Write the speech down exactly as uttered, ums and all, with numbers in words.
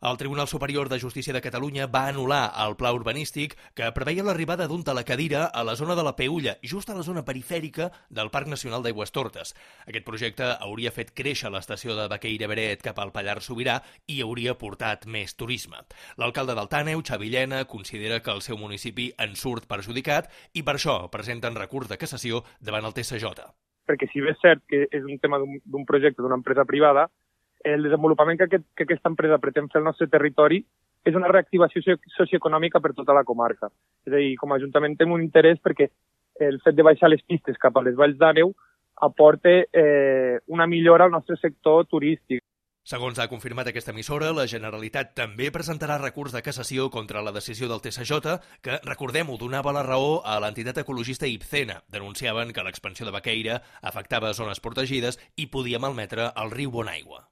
El Tribunal Superior de Justícia de Catalunya va anul·lar el pla urbanístic que preveia l'arribada d'un telecadira a la zona de la Peulla, just a la zona perifèrica del Parc Nacional d'Aigüestortes. Aquest projecte hauria fet créixer l'estació de Baqueira-Beret cap al Pallars Sobirà i hauria portat més turisme. L'alcalde del Tàneu, Xavi Llena, considera que el seu municipi en surt perjudicat i per això presenten recurs de cassació davant el T S J. Perquè si bé és cert que és un tema d'un projecte d'una empresa privada, el desenvolupament que, aquest, que aquesta empresa pretén fer al nostre territori és una reactivació socioeconòmica per tota la comarca. És a dir, com a Ajuntament tenim un interès perquè el fet de baixar les pistes cap a les valls d'Àneu aporta eh, una millora al nostre sector turístic. Segons ha confirmat aquesta emissora, la Generalitat també presentarà recurs de cassació contra la decisió del T S J, que, recordem-ho, donava la raó a l'entitat ecologista Ibcena. Denunciaven que l'expansió de Baqueira afectava zones protegides i podia malmetre el riu Bonaigua.